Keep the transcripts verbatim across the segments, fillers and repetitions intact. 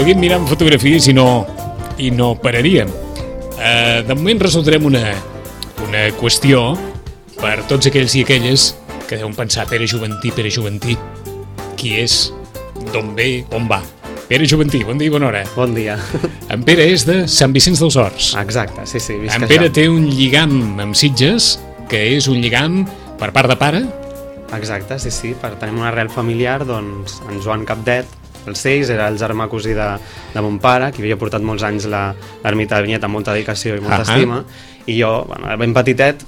seguim mirant fotografies i no, i no pararíem. Uh, de moment resoldrem una, una qüestió per tots aquells i aquelles que deuen pensar Pere Juventí, Pere Juventí, qui és, d'on ve, on va. Pere Juventí, bon dia i bona hora. Bon dia. En Pere és de Sant Vicenç dels Horts. Exacte, sí, sí. En Pere té un lligam amb Sitges, que és un lligam per part de pare. Exacte, sí, sí. Per tenir una arrel familiar, doncs, en Joan Capdet, el Seix, era el germà cosí de, de mon pare, que havia portat molts anys l'ermita de Vinyet amb molta dedicació i molta uh -huh. estima, i jo, bueno, ben petitet,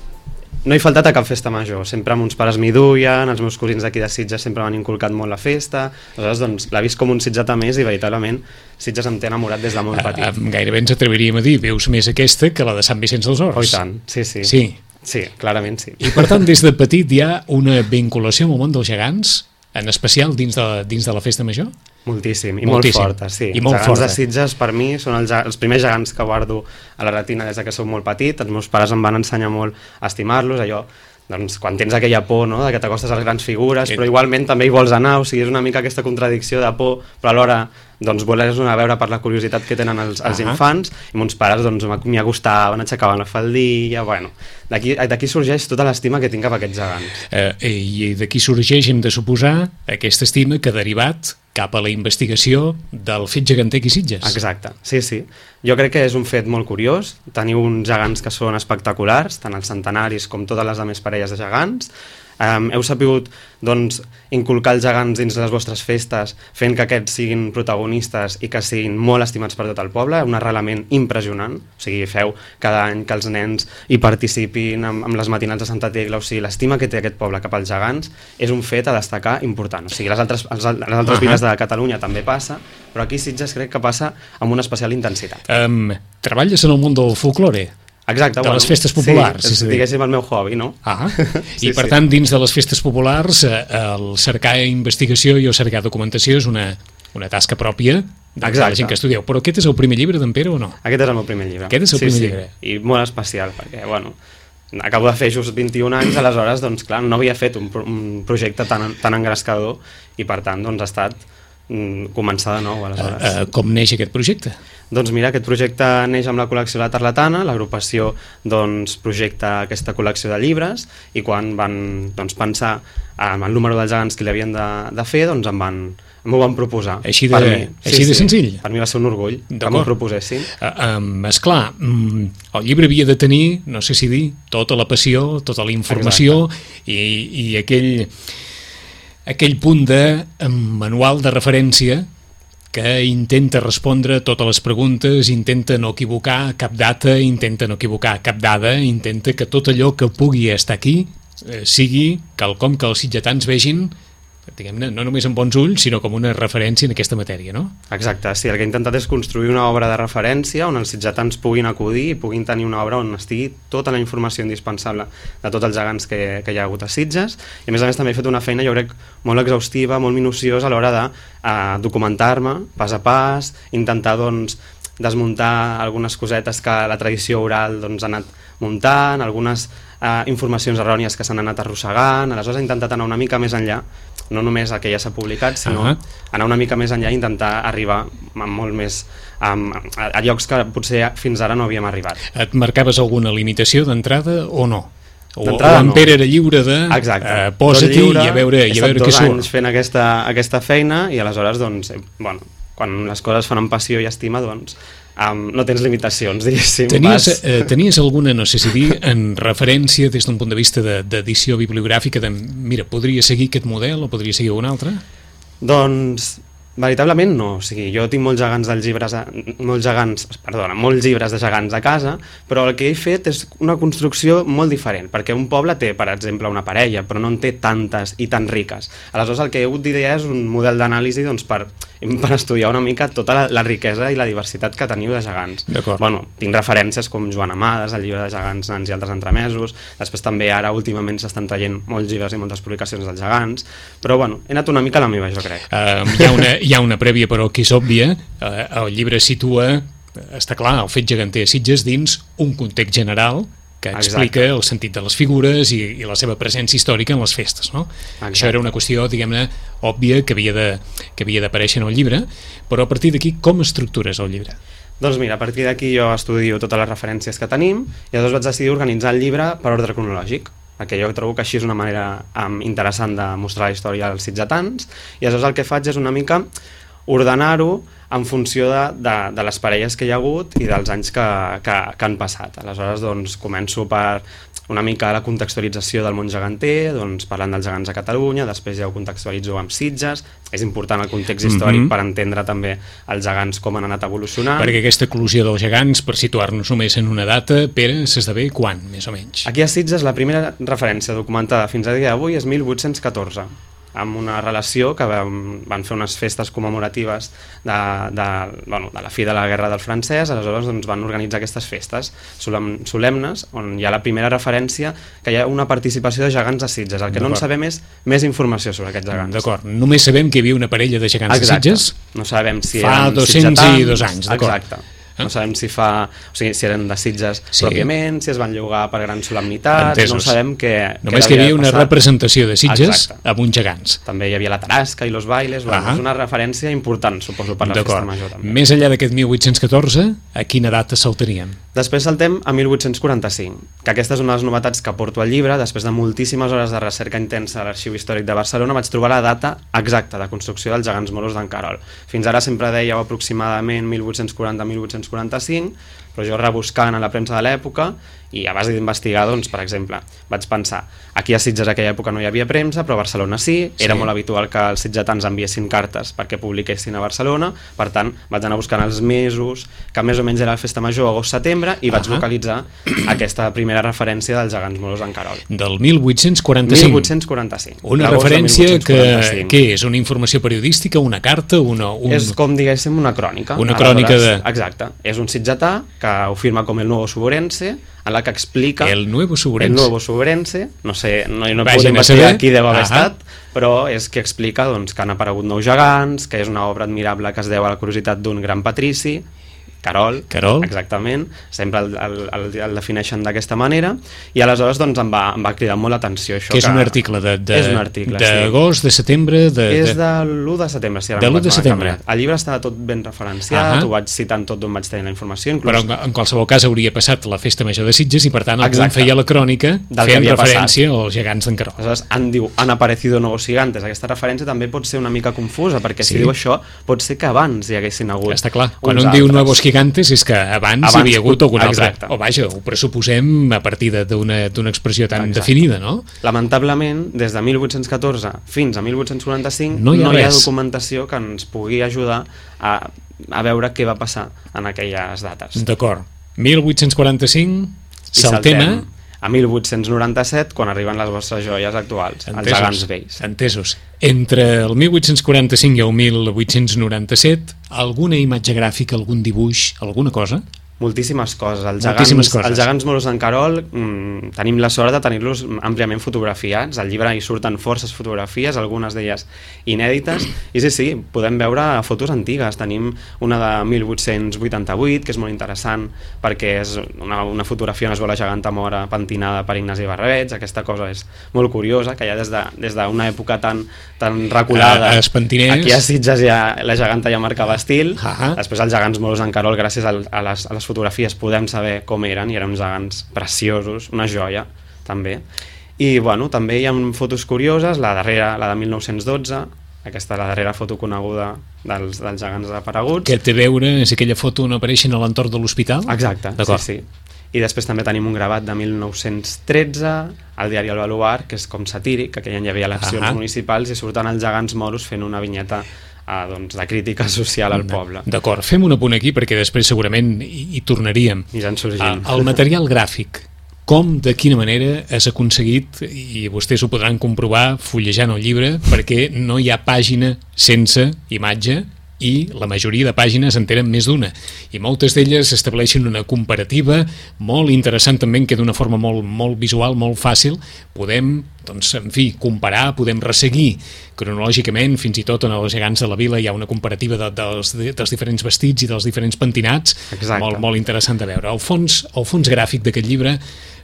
no he faltat a cap festa major, sempre amb uns pares m'hi duien, els meus cosins d'aquí de Sitges sempre m'han inculcat molt la festa, aleshores doncs l'ha vist com un sitgetà més i veritablement Sitges em té enamorat des de molt petit. Uh, gairebé ens atreviríem a dir, veus més aquesta que la de Sant Vicenç dels Horts. Oh, i tant, sí, sí. Sí. Sí, clarament sí. I per tant, des de petit hi ha una vinculació amb el món dels gegants, en especial dins de, dins de la festa major? Moltíssim, i Moltíssim. molt forta, sí. I molt els gegants forta. de Sitges, per mi, són els, els primers gegants que guardo a la retina des que soc molt petit. Els meus pares em van ensenyar molt a estimar-los, allò, doncs, quan tens aquella por, no?, de que t'acostes a les grans figures, però igualment també hi vols anar, o sigui, és una mica aquesta contradicció de por, però alhora doncs voler anar a veure per la curiositat que tenen els, els uh -huh. infants, i mons pares doncs m'hi acostaven, aixecaven la faldilla, bueno, d'aquí d'aquí sorgeix tota l'estima que tinc cap a aquests gegants. Eh, I d'aquí sorgeix, hem de suposar, aquesta estima que ha derivat cap a la investigació del fet geganter aquí Sitges. Exacte, sí, sí. Jo crec que és un fet molt curiós. Teniu uns gegants que són espectaculars, tant els centenaris com totes les altres parelles de gegants. Um, heu sapigut doncs, inculcar els gegants dins les vostres festes, fent que aquests siguin protagonistes i que siguin molt estimats per tot el poble, un arrelament impressionant. O sigui, feu cada any que els nens hi participin amb, amb les matinals de Santa Tecla, o sigui, l'estima que té aquest poble cap als gegants és un fet a destacar important. O sigui, les altres, les altres uh -huh. viles de Catalunya també passa, però aquí Sitges crec que passa amb una especial intensitat. Um, treballes en el món del folklore? Exacte, de bueno, les festes populars. Sí, és, diguéssim, el meu hobby, no? Ah, sí, i per sí. tant, dins de les festes populars, el cercar investigació i el cercar documentació és una, una tasca pròpia de la gent que estudieu. Però aquest és el primer llibre d'en Pere o no? Aquest és el meu primer llibre. Aquest és el sí, primer sí. llibre. I molt especial, perquè, bueno, acabo de fer just vint-i-un anys, aleshores, doncs, clar, no havia fet un, un projecte tan, tan engrescador i, per tant, doncs, ha estat mm, començar de nou, aleshores. Uh, uh, com neix aquest projecte? Doncs mira, aquest projecte neix amb la col·lecció La Tarlatana, l'agrupació doncs, projecta aquesta col·lecció de llibres i quan van doncs, pensar en el número dels gegants que li havien de, de fer, doncs em van, m'ho van proposar. Així de, mi, així sí, de senzill? Sí, per mi va ser un orgull que m'ho proposessin. Uh, um, esclar, um, el llibre havia de tenir, no sé si dir, tota la passió, tota la informació i, i aquell, aquell punt de um, manual de referència que intenta respondre totes les preguntes, intenta no equivocar cap data, intenta no equivocar cap dada, intenta que tot allò que pugui estar aquí eh, sigui quelcom que els sitgetans vegin, diguem-ne, no només amb bons ulls, sinó com una referència en aquesta matèria, no? Exacte, sí, el que he intentat és construir una obra de referència on els sitgetans puguin acudir i puguin tenir una obra on estigui tota la informació indispensable de tots els gegants que, que hi ha hagut a Sitges, i a més a més també he fet una feina, jo crec, molt exhaustiva, molt minuciosa a l'hora de uh, documentar-me pas a pas, intentar, doncs, desmuntar algunes cosetes que la tradició oral doncs, ha anat muntant, algunes uh, informacions errònies que s'han anat arrossegant, aleshores he intentat anar una mica més enllà, no només el que ja s'ha publicat, sinó uh -huh. anar una mica més enllà i intentar arribar amb molt més um, a, a llocs que potser fins ara no havíem arribat. Et marcaves alguna limitació d'entrada o no? O, o en Pere era lliure de uh, posa-t'hi i a veure, i a veure què surt. He estat dos anys fent aquesta, aquesta feina i aleshores, doncs, eh, bueno, quan les coses fan amb passió i estima, doncs, Um, no tens limitacions, diguéssim. Tenies, eh, tenies alguna, no sé si dir, en referència des d'un punt de vista d'edició de, bibliogràfica, de, mira, podria seguir aquest model o podria seguir un altre? Doncs, veritablement no. O sigui, jo tinc molts gegants dels llibres, molts gegants, perdona, molts llibres de gegants a casa, però el que he fet és una construcció molt diferent, perquè un poble té, per exemple, una parella, però no en té tantes i tan riques. Aleshores, el que he hagut d'idear és un model d'anàlisi doncs, per per estudiar una mica tota la, la riquesa i la diversitat que teniu de gegants. Bueno, tinc referències com Joan Amades, el llibre de gegants, nans i altres entremesos, després també ara últimament s'estan traient molts llibres i moltes publicacions dels gegants, però bueno, he anat una mica a la meva, jo crec. Uh, hi, ha una, hi ha una prèvia però que és òbvia, uh, el llibre situa, està clar, el fet geganter a Sitges dins un context general que explica Exacte. el sentit de les figures i, i la seva presència històrica en les festes, no? Exacte. Això era una qüestió, diguem-ne, òbvia que havia de, que havia d'aparèixer en el llibre, però a partir d'aquí com estructures el llibre? Doncs mira, a partir d'aquí jo estudio totes les referències que tenim i llavors vaig decidir organitzar el llibre per ordre cronològic, perquè jo trobo que així és una manera um, interessant de mostrar la història als sitgetans, i aleshores el que faig és una mica ordenar-ho en funció de, de, de les parelles que hi ha hagut i dels anys que, que, que han passat. Aleshores, doncs, començo per una mica la contextualització del món geganter, doncs, parlant dels gegants a Catalunya, després ja ho contextualitzo amb Sitges, és important el context històric mm-hmm. per entendre també els gegants com han anat evolucionant. Perquè aquesta eclosió dels gegants, per situar-nos només en una data, Pere, s'esdevé quan, més o menys? Aquí a Sitges la primera referència documentada fins a dia d'avui és mil vuit-cents catorze, amb una relació que van, van fer unes festes commemoratives de, de, bueno, de la fi de la Guerra del Francès, aleshores doncs, van organitzar aquestes festes solem, solemnes, on hi ha la primera referència que hi ha una participació de gegants de Sitges. El que no en sabem és més informació sobre aquests gegants. D'acord, només sabem que hi havia una parella de gegants Exacte. de Sitges no sabem si fa eren dos-cents i dos anys, d'acord. Exacte. No sabem si fa, o sigui, si eren de Sitges sí. pròpiament, si es van llogar per grans solemnitats, Entesos. no sabem què Només que hi havia una passat. representació de Sitges Exacte. amb uns gegants. També hi havia la Tarasca i los bailes, bueno, uh -huh. és una referència important, suposo, per la festa major també. Més enllà d'aquest mil vuit-cents catorze, a quina data saltaríem? Després saltem a mil vuit-cents quaranta-cinc, que aquesta és una de les novetats que porto al llibre. Després de moltíssimes hores de recerca intensa a l'Arxiu Històric de Barcelona vaig trobar la data exacta de construcció dels gegants moros d'en Querol. Fins ara sempre dèieu aproximadament mil vuit-cents quaranta a mil vuit-cents quaranta-cinc, però jo rebuscant a la premsa de l'època i a base d'investigar, doncs, per exemple, vaig pensar, aquí a Sitges aquella època no hi havia premsa, però a Barcelona sí, era sí. molt habitual que els sitgetans enviessin cartes perquè publiquessin a Barcelona, per tant, vaig anar buscant els mesos, que més o menys era la festa major, agost-setembre, i vaig uh -huh. localitzar aquesta primera referència dels gegants moros d'en Querol. Del mil vuit-cents quaranta-cinc. mil vuit-cents quaranta-cinc. Una referència que, que és una informació periodística, una carta, una... Un... És com, diguéssim, una crònica. Una crònica de... Exacte. És un sitgetà que ho firma com el Nuevo Suborense, en la que explica... El Nuevo Suborense. El Nuevo Suborense, no sé, no, no podem investigar qui deu haver estat, però és que explica doncs, que han aparegut nous gegants, que és una obra admirable que es deu a la curiositat d'un gran patrici, Querol, Querol, exactament, sempre el, el, el, el defineixen d'aquesta manera, i aleshores doncs, em, va, em va cridar molt l'atenció això. Que és que un article de, de, és un article, d'agost, sí. de setembre... De, és de l'u de setembre, si ara de l'u de setembre. El llibre està tot ben referenciat, uh -huh. ho vaig citant tot d'on vaig tenir la informació. Inclús... Però en qualsevol cas hauria passat la festa major de Sitges i per tant algú en feia la crònica fent referència passat. als gegants d'en Querol. Aleshores, en diu, han aparecido nuevos gigantes. Aquesta referència també pot ser una mica confusa, perquè sí. si diu això, pot ser que abans hi haguessin hagut. Està clar, quan un altres. diu nuevos gigantes és que abans, abans hi havia hagut algun altre. O vaja, ho pressuposem a partir d'una expressió tan Exacte. definida, no? Lamentablement, des de mil vuit-cents catorze fins a mil vuit-cents quaranta-cinc no hi ha, no hi ha res. documentació que ens pugui ajudar a, a veure què va passar en aquelles dates. D'acord. mil vuit-cents quaranta-cinc, saltem a mil vuit-cents noranta-set, quan arriben les vostres joies actuals, Entesos. els gegants vells. Entesos. Entre el mil vuit-cents quaranta-cinc i el mil vuit-cents noranta-set, alguna imatge gràfica, algun dibuix, alguna cosa? Moltíssimes coses. Els Moltíssimes gegants, coses. Els gegants moros d'en Querol mmm, tenim la sort de tenir-los àmpliament fotografiats. Al llibre hi surten forces fotografies, algunes d'elles inèdites, i sí, sí, podem veure fotos antigues. Tenim una de mil vuit-cents vuitanta-vuit, que és molt interessant, perquè és una, una fotografia on es veu la geganta mora pentinada per Ignasi Barrabets. Aquesta cosa és molt curiosa, que ja des d'una de, des de època tan, tan reculada, a, a aquí a Sitges ja, la geganta ja marcava estil. Uh -huh. Després els gegants moros d'en Querol, gràcies a, a les, a les fotografies podem saber com eren, i eren uns gegants preciosos, una joia també. I bueno, també hi ha fotos curioses, la darrera, la de mil nou-cents dotze, aquesta la darrera foto coneguda dels, dels gegants apareguts. Que té a veure, és aquella foto on apareixen a l'entorn de l'hospital? Exacte, sí, sí. I després també tenim un gravat de mil nou-cents tretze al diari El Baluard, que és com satíric, que aquell any hi havia eleccions uh -huh. municipals i surten els gegants moros fent una vinyeta Ah, doncs, de crítica social al poble. D'acord, fem un apunt aquí perquè després segurament hi, hi tornaríem. I ja en sorgim. El material gràfic, com, de quina manera has aconseguit, i vostès ho podran comprovar fullejant el llibre, perquè no hi ha pàgina sense imatge i la majoria de pàgines en tenen més d'una, i moltes d'elles estableixen una comparativa molt interessant també, que d'una forma molt, molt visual, molt fàcil, podem doncs, en fi, comparar, podem resseguir cronològicament, fins i tot en els gegants de la vila hi ha una comparativa de, dels, dels diferents vestits i dels diferents pentinats, molt, molt interessant de veure. El fons, el fons gràfic d'aquest llibre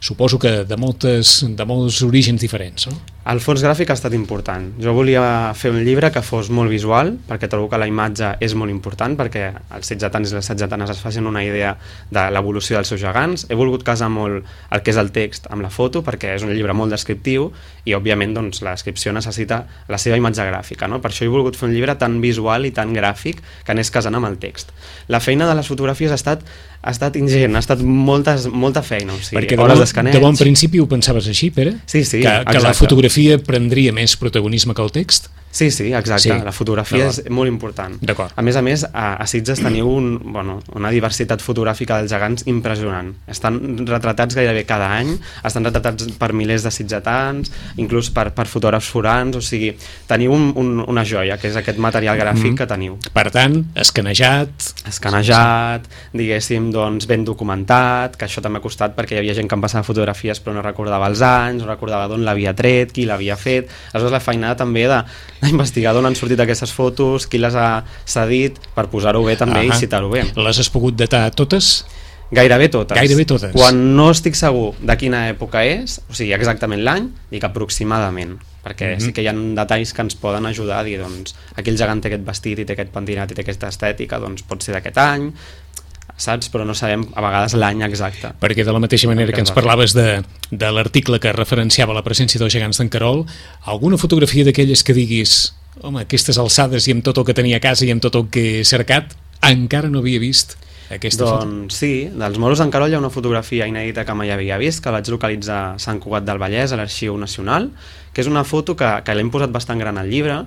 suposo que de, moltes, de molts orígens diferents, no? El fons gràfic ha estat important. Jo volia fer un llibre que fos molt visual, perquè trobo que la imatge és molt important, perquè els sitgetans i les sitgetanes es facin una idea de l'evolució dels seus gegants. He volgut casar molt el que és el text amb la foto, perquè és un llibre molt descriptiu i, òbviament, doncs, la descripció necessita la seva imatge gràfica, no? Per això he volgut fer un llibre tan visual i tan gràfic que anés casant amb el text. La feina de les fotografies ha estat, ha estat ingent, ha estat moltes, molta feina, o sigui, perquè hores d'escaneig. De bon principi ho pensaves així, Pere? Sí, sí, que, que la fotografia prendria més protagonisme que el text? Sí, sí, exacte. Sí. La fotografia és molt important. A més a més, a, a Sitges teniu un, bueno, una diversitat fotogràfica dels gegants impressionant. Estan retratats gairebé cada any, estan retratats per milers de sitgetans, inclús per, per fotògrafs forans, o sigui, teniu un, un, una joia, que és aquest material gràfic mm. que teniu. Per tant, escanejat... Escanejat, diguéssim, doncs, ben documentat, que això també ha costat perquè hi havia gent que em passava fotografies però no recordava els anys, no recordava d'on l'havia tret, qui l'havia fet. Aleshores, la feinada també de investigar d'on han sortit aquestes fotos, qui les ha cedit, per posar-ho bé també uh -huh. i citar-ho bé. Les has pogut datar totes? Gairebé totes. Gairebé totes. Quan no estic segur de quina època és, o sigui, exactament l'any, dic aproximadament, perquè uh -huh. sí que hi ha detalls que ens poden ajudar a dir, doncs, aquí el gegant té aquest vestit i té aquest pentinat i té aquesta estètica, doncs pot ser d'aquest any, saps? Però no sabem a vegades l'any exacte. Perquè de la mateixa manera que ens parlaves de, de l'article que referenciava la presència dels gegants d'en Querol, alguna fotografia d'aquelles que diguis, home, aquestes alçades i amb tot el que tenia a casa i amb tot el que he cercat, encara no havia vist aquesta doncs, foto? Doncs sí, dels moros d'en Querol hi ha una fotografia inèdita que mai havia vist, que vaig localitzar a Sant Cugat del Vallès, a l'Arxiu Nacional, que és una foto que, que l'hem posat bastant gran al llibre,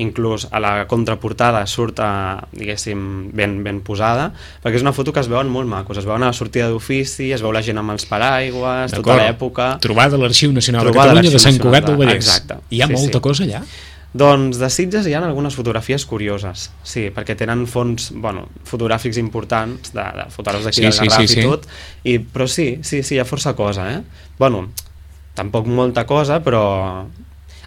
inclús a la contraportada surt, a, diguéssim, ben, ben posada, perquè és una foto que es veuen molt macos, es veuen a la sortida d'ofici, es veu la gent amb els paraigües, tota l'època... Trobada a l'Arxiu Nacional de Catalunya de Sant Cugat del Vallès. Exacte. Hi ha sí, molta sí. cosa allà? Doncs de Sitges hi ha algunes fotografies curioses, sí, perquè tenen fons, bueno, fotogràfics importants, de, de fotògrafs d'aquí sí, del sí, Garraf sí, i sí. tot, i, però sí, sí, sí, hi ha força cosa, eh? Bueno, tampoc molta cosa, però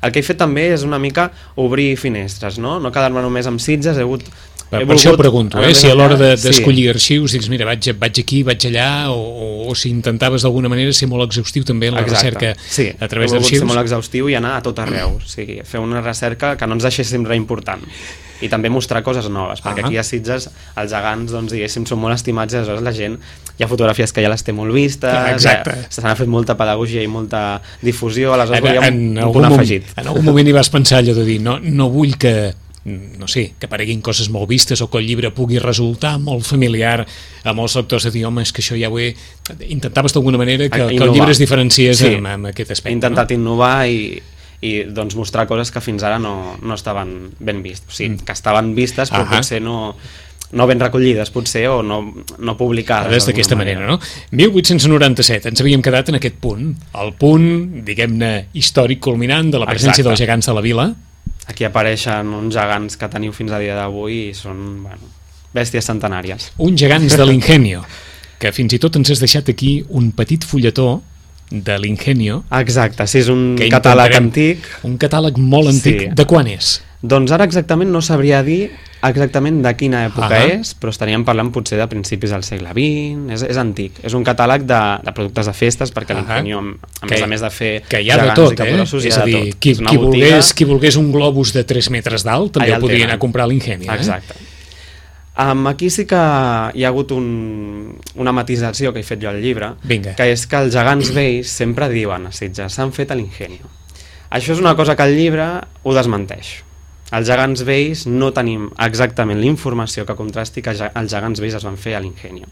el que he fet també és una mica obrir finestres, no? No quedar-me només amb Sitges, he hagut... Per, per això ho pregunto, eh? Si a l'hora d'escollir de, arxius dius, mira, vaig, vaig aquí, vaig allà, o, o, o si intentaves d'alguna manera ser molt exhaustiu també en la Exacte. recerca sí, a través d'arxius. Sí, he volgut ser molt exhaustiu i anar a tot arreu, o sigui, fer una recerca que no ens deixéssim res important. I també mostrar coses noves, perquè uh -huh. aquí a Sitges els gegants, doncs, diguéssim, són molt estimats i aleshores la gent, hi ha fotografies que ja les té molt vistes, se n'ha fet molta pedagogia i molta difusió, aleshores volíem en, en un punt afegit. En algun moment hi vas pensar allò de dir, no, no vull que no sé, que apareguin coses molt vistes o que el llibre pugui resultar molt familiar a molts lectors de dir, home, és que això ja ho he... Intentaves d'alguna manera que, que el llibre es diferenciés sí. amb, amb aquest aspecte. He intentat no? innovar i i doncs mostrar coses que fins ara no, no estaven ben vistes, o sigui, que estaven vistes però uh -huh. potser no, no ben recollides potser o no, no publicades d'aquesta manera, manera, no? mil vuit-cents noranta-set, ens havíem quedat en aquest punt, el punt, diguem-ne, històric culminant de la presència Exacte. dels gegants de la vila. Aquí apareixen uns gegants que teniu fins a dia d'avui i són, bueno, bèsties centenàries. Uns gegants de l'Ingenio, que fins i tot ens has deixat aquí un petit fulletó de l'Ingenio. Exacte, sí, és un catàleg antic. Un catàleg molt antic. Sí. De quan és? Doncs ara exactament no sabria dir exactament de quina època uh -huh. és, però estaríem parlant potser de principis del segle vint, és, és antic. És un catàleg de, de productes de festes, perquè uh -huh. l'Ingenio, a més a més de fer que hi ha de tot, eh? És a dir, qui, qui, volgués, qui volgués un globus de tres metres d'alt també el podria anar a comprar a l'Ingenio. Exacte. Eh? Um, aquí sí que hi ha hagut un, una matisació que he fet jo al llibre, Vinga. que és que els gegants vells sempre diuen a Sitges, s'han fet a l'Ingenio. Això és una cosa que el llibre ho desmenteix. Els gegants vells no tenim exactament la informació que contrasti que els gegants vells es van fer a l'Ingenio.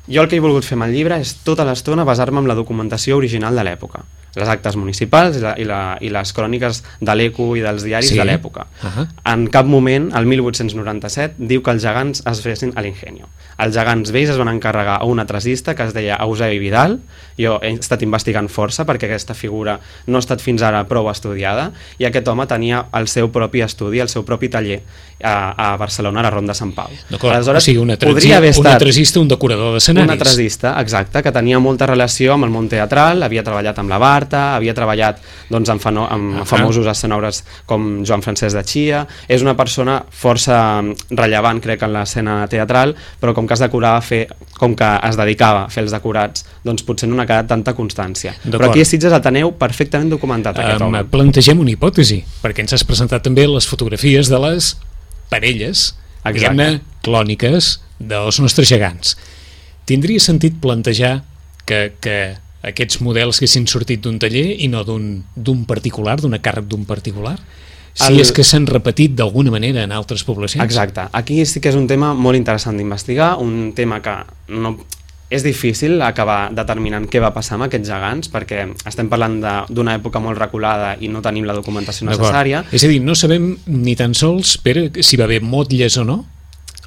Jo el que he volgut fer amb el llibre és tota l'estona basar-me en la documentació original de l'època, les actes municipals i, la, i, la, i les cròniques de l'Eco i dels diaris sí. de l'època. Uh -huh. En cap moment, el mil vuit-cents noranta-set, diu que els gegants es fessin a l'Ingenio. Els gegants vells es van encarregar a un atracista que es deia Eusebi Vidal. Jo he estat investigant força perquè aquesta figura no ha estat fins ara prou estudiada, i aquest home tenia el seu propi estudi, el seu propi taller a, a Barcelona, a la Ronda Sant Pau. Aleshores, o sigui, un atracista, un decorador d'escenaris. Un atracista, exacte, que tenia molta relació amb el món teatral, havia treballat amb la Bar Barta, havia treballat doncs, amb, fano, amb uh -huh. famosos escenògrafs com Joan Francesc de Chia, és una persona força rellevant, crec, en l'escena teatral, però com que es decorava a fer, com que es dedicava a fer els decorats, doncs potser no n'ha quedat tanta constància. Però aquí a Sitges el teneu perfectament documentat, aquest um, home. Plantegem una hipòtesi, perquè ens has presentat també les fotografies de les parelles, diguem-ne, clòniques dels nostres gegants. Tindria sentit plantejar que, que aquests models haguessin sortit d'un taller i no d'un particular, d'un càrrec d'un particular? Si el... és que s'han repetit d'alguna manera en altres poblacions? Exacte. Aquí sí que és un tema molt interessant d'investigar, un tema que no... és difícil acabar determinant què va passar amb aquests gegants, perquè estem parlant d'una època molt reculada i no tenim la documentació necessària. És a dir, no sabem ni tan sols, Pere, si va haver motlles o no?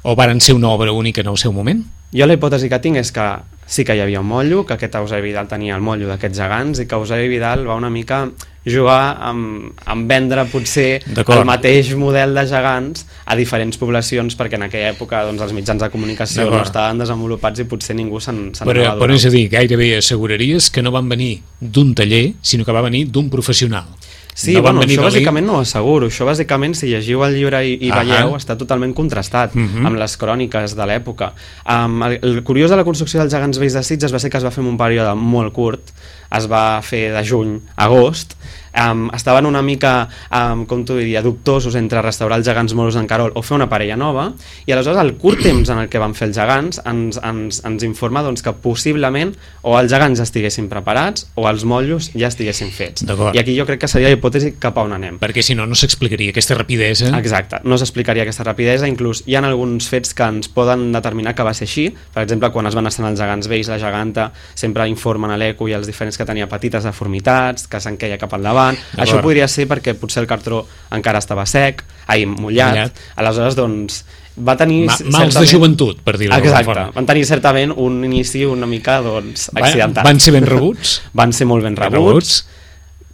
O varen ser una obra única en el seu moment? Jo la hipòtesi que tinc és que sí que hi havia un motllo, que aquest Eusebi Vidal tenia el motllo d'aquests gegants i que Eusebi Vidal va una mica jugar amb, amb vendre potser el mateix model de gegants a diferents poblacions, perquè en aquella època doncs, els mitjans de comunicació no estaven desenvolupats i potser ningú se'n se'n però, però és a dir, gairebé asseguraries que no van venir d'un taller, sinó que va venir d'un professional. Sí, no bueno, això bàsicament no ho asseguro. Això bàsicament, si llegiu el llibre i, i veieu, està totalment contrastat uh -huh. amb les cròniques de l'època. Um, el, el curiós de la construcció dels gegants vells de Sitges va ser que es va fer en un període molt curt, es va fer de juny a agost, um, estaven una mica, um, com t'ho diria, dubtosos entre restaurar els gegants moros d'en Carol o fer una parella nova, i aleshores el curt temps en el que van fer els gegants ens, ens, ens informa doncs, que possiblement o els gegants ja estiguessin preparats o els motllos ja estiguessin fets. I aquí jo crec que seria la hipòtesi cap a on anem. Perquè si no, no s'explicaria aquesta rapidesa. Exacte, no s'explicaria aquesta rapidesa, inclús hi ha alguns fets que ens poden determinar que va ser així. Per exemple, quan es van estrenar els gegants vells, la geganta sempre informen a l'eco i als diferents que tenia petites deformitats, que s'enqueia cap al davant. Això podria ser perquè potser el cartró encara estava sec, ai, mullat, mullat. Aleshores, doncs, va tenir... Ma mals certament... de joventut, per dir-ho d'alguna forma. Exacte, van tenir certament un inici una mica, doncs, accidentat. Van ser ben rebuts? Van ser molt ben rebuts. Ben rebuts.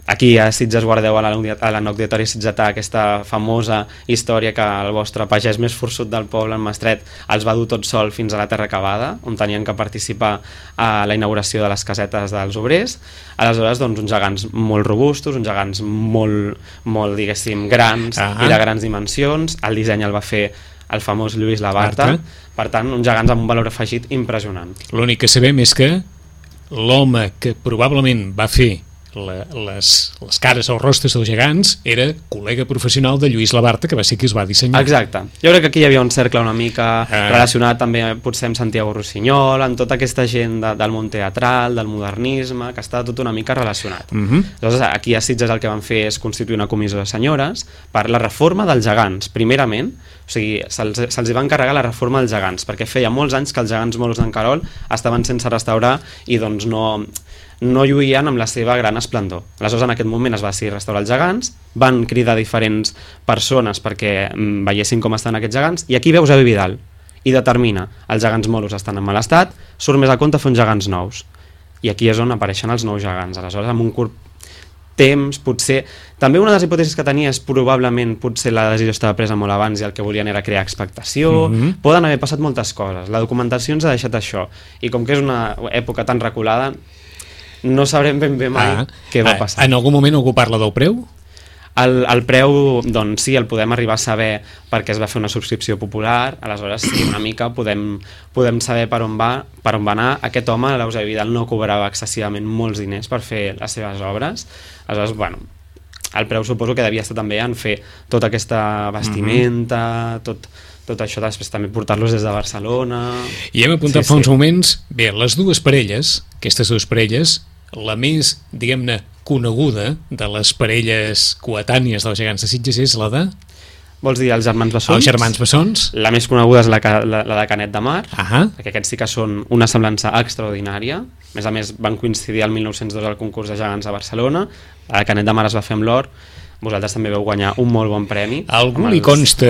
Aquí a Sitges guardeu a l'anecdotori sitgetà aquesta famosa història que el vostre pagès més forçut del poble, en Mestret, els va dur tot sol fins a la Terra Acabada, on tenien que participar a la inauguració de les casetes dels obrers. Aleshores, doncs, uns gegants molt robustos, uns gegants molt, molt diguéssim, grans uh-huh. i de grans dimensions. El disseny el va fer el famós Lluís Labarta. Marta. Per tant, uns gegants amb un valor afegit impressionant. L'únic que sabem és que l'home que probablement va fer La, les, les cares o rostres dels gegants era col·lega professional de Lluís Labarta, que va ser qui es va dissenyar. Exacte. Jo crec que aquí hi havia un cercle una mica ah. relacionat també potser amb Santiago Rossinyol, amb tota aquesta gent de, del món teatral, del modernisme, que està tot una mica relacionat. Uh -huh. Llavors aquí a Sitges el que van fer és constituir una comissió de senyores per la reforma dels gegants, primerament. O sigui, se'ls se va encarregar la reforma dels gegants, perquè feia molts anys que els gegants moros d'en Carol estaven sense restaurar i doncs no... no lluïen amb la seva gran esplendor. Aleshores, en aquest moment es va decidir restaurar els gegants, van cridar diferents persones perquè mm, veiessin com estan aquests gegants, i aquí veus Eusebi Vidal, i determina els gegants moros estan en mal estat, surt més a compte fer uns gegants nous. I aquí és on apareixen els nous gegants. Aleshores, amb un curt temps, potser... També una de les hipòtesis que tenia és probablement potser la decisió estava presa molt abans i el que volien era crear expectació. Mm-hmm. Poden haver passat moltes coses. La documentació ens ha deixat això. I com que és una època tan reculada, no sabrem ben bé mai ah, què va passar. En algun moment algú parla del preu? El, el preu, doncs sí, el podem arribar a saber perquè es va fer una subscripció popular, aleshores sí, una mica podem, podem saber per on va, per on va anar. Aquest home, l'Eusebi Vidal, no cobrava excessivament molts diners per fer les seves obres, aleshores, bueno, el preu suposo que devia estar també en fer tota aquesta vestimenta, mm-hmm. tot... tot això, després també portar-los des de Barcelona... I hem apuntat sí, fa uns sí. moments, bé, les dues parelles, aquestes dues parelles, la més, diguem-ne, coneguda de les parelles coetànies dels gegants de Sitges és la de... Vols dir els germans Bessons? Els germans Bessons. La més coneguda és la, la, la de Canet de Mar, uh -huh. perquè aquests sí que són una semblança extraordinària. A més a més, van coincidir el mil nou-cents dos al concurs de gegants a Barcelona. La de Canet de Mar es va fer amb l'or. Vosaltres també veu guanyar un molt bon premi. Algú li consta,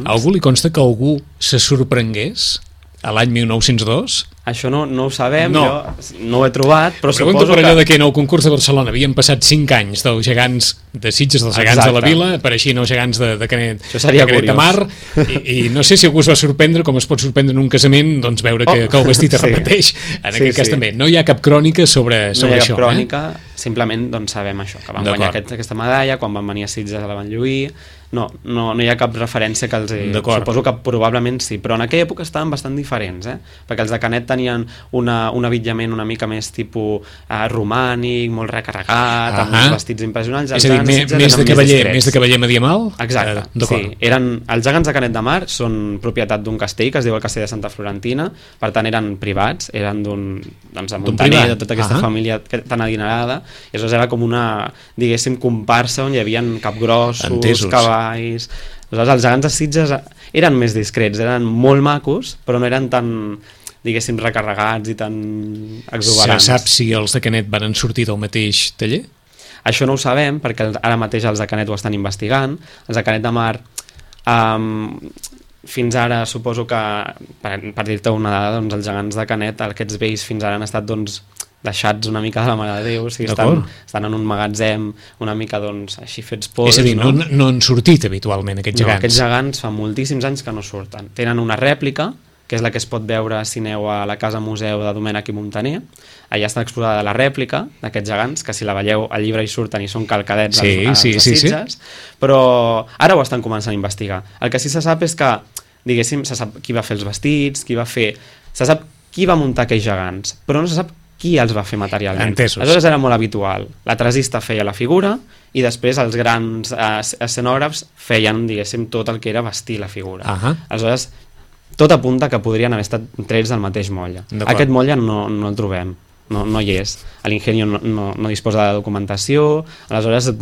algú li consta que algú se sorprengués a l'any mil nou-cents dos Això no, no ho sabem, no. jo no ho he trobat, però Pregunto suposo per allò que... de que en el concurs de Barcelona havien passat cinc anys dels gegants de Sitges, dels gegants Exacte. de la Vila, apareixien els gegants de, de Canet, Això seria de Canet de Mar, i, i no sé si algú es va sorprendre, com es pot sorprendre en un casament, doncs veure que, oh, que el vestit es repeteix, sí. en aquest sí, cas sí. també. No hi ha cap crònica sobre, sobre no hi ha això. cap crònica, eh? Simplement doncs, sabem això, que van guanyar aquest, aquesta medalla, quan van venir a Sitges la van lluir. No, no, no hi ha cap referència que els... Suposo que probablement sí, però en aquella època estaven bastant diferents, eh? Perquè els de Canet tenien una, un avitjament una mica més tipus eh, romànic, molt recarregat, uh -huh. amb uns vestits impressionants. És a dir, més, més, de cavaller, més de cavaller medieval? Exacte, eh, sí. Eren, els gegants de Canet de Mar són propietat d'un castell que es diu el Castell de Santa Florentina, per tant eren privats, eren d'un doncs, Montaner, de tota aquesta uh -huh. família tan adinerada, i aleshores era com una, diguéssim, comparsa on hi havia capgrossos, Entesos. cavalls. Aleshores, els gegants de Sitges eren més discrets, eren molt macos, però no eren tan, diguéssim, recarregats i tan exuberants. Se sap si els de Canet van sortir del mateix taller? Això no ho sabem, perquè ara mateix els de Canet ho estan investigant. Els de Canet de Mar, um, fins ara, suposo que, per, per dir-te una dada, doncs, els gegants de Canet, aquests vells fins ara han estat, doncs, deixats una mica de la Mare de Déu, o sigui, estan, estan en un magatzem una mica, doncs, així fets pols. És a dir, no, no, no han sortit habitualment aquests gegants? No, aquests gegants fa moltíssims anys que no surten. Tenen una rèplica, que és la que es pot veure si aneu a la Casa Museu de Domènech i Montaner. Allà està exposada la rèplica d'aquests gegants, que si la veieu al llibre hi surten i són calcadets sí, als, sí, als sí, Sitges, sí. Però ara ho estan començant a investigar. El que sí se sap és que, diguéssim, se sap qui va fer els vestits, qui va fer... Se sap qui va muntar aquells gegants, però no se sap qui els va fer materialment. Entesos. Aleshores era molt habitual. La tresista feia la figura i després els grans eh, escenògrafs feien, diguéssim, tot el que era vestir la figura. Uh -huh. Aleshores, tot apunta que podrien haver estat trets del mateix motlle. Aquest motlle no, no el trobem, no, no hi és. L'Ingenio no, no, no disposa de documentació, aleshores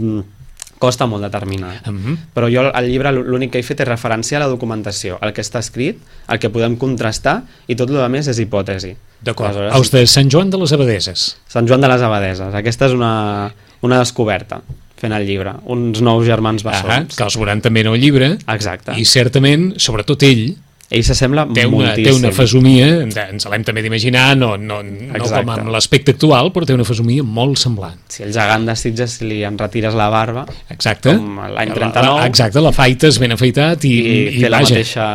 costa molt determinar. Uh -huh. Però jo al llibre l'únic que he fet és referència a la documentació, el que està escrit, el que podem contrastar, i tot el més és hipòtesi. D'acord. Els de Sant Joan de les Abadeses. Sant Joan de les Abadeses. Aquesta és una, una descoberta fent el llibre. Uns nous germans bessons. Ah, que els veuran també en el llibre. Exacte. I certament, sobretot ell, ell s'assembla moltíssim. Té una fesomia, ens l'hem també d'imaginar, no, no, no com amb l'aspecte actual, però té una fesomia molt semblant. Si el gegant de Sitges, si li enretires la barba, exacte, com l'any trenta-nou... La, la, exacte, la faites ben afeitat i, i, i, té i la vaja. mateixa,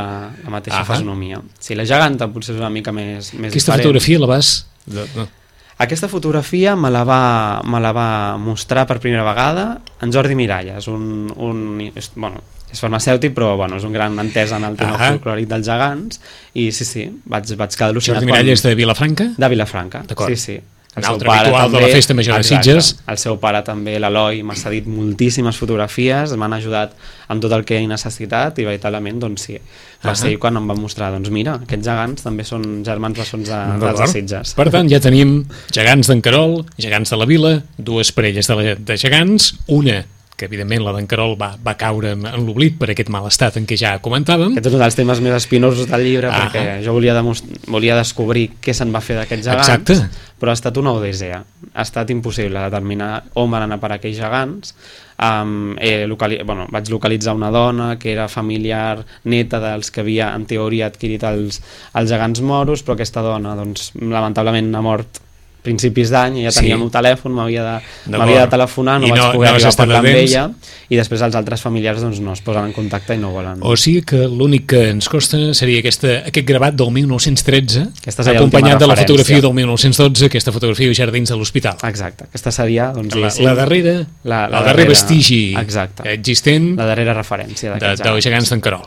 la mateixa uh -huh. fesomia. Si la geganta potser és una mica més, més Aquesta diferent. fotografia la vas... No. Aquesta fotografia me la, va, me la va mostrar per primera vegada en Jordi Miralles, un, un, bueno, és farmacèutic, però bueno, és un gran entès en el tema folclòric dels gegants, i sí, sí, vaig, vaig quedar al·lucinat. Jordi Miralles quan... de Vilafranca? De Vilafranca, sí, sí. El un altre habitual també, de la Festa Major de Sitges. El seu pare també, l'Eloi, m'ha cedit moltíssimes fotografies, m'han ajudat amb tot el que he necessitat, i veritablement, doncs sí, va uh -huh. ser quan em va mostrar, doncs mira, aquests gegants també són germans bessons de, dels de Sitges. Per tant, ja tenim gegants d'en Querol, gegants de la Vila, dues parelles de, la, de gegants, una que evidentment la d'en Querol va, va caure en, en l'oblit per aquest mal estat en què ja comentàvem. Aquest és un dels temes més espinosos del llibre, ah, perquè jo volia, volia descobrir què se'n va fer d'aquests gegants. Exacte. Però ha estat una odissea. Ha estat impossible determinar on van anar per aquells gegants. Um, he locali bueno, vaig localitzar una dona que era familiar, neta dels que havia en teoria adquirit els, els gegants moros, però aquesta dona doncs, lamentablement ha mort principis d'any, ja tenia sí. un telèfon, m'havia de, de telefonar, no, no vaig poder no arribar a parlar amb ella, i després els altres familiars doncs, no es posen en contacte i no volen. O sigui que l'únic que ens costa seria aquesta, aquest gravat del mil nou-cents tretze, acompanyat de la fotografia del mil nou-cents dotze, aquesta fotografia de Jardins de l'Hospital. Exacte, aquesta seria doncs, la, la darrera, la, la, la darrera vestigi exacte. existent la darrera referència de, dels gegants d'en Querol.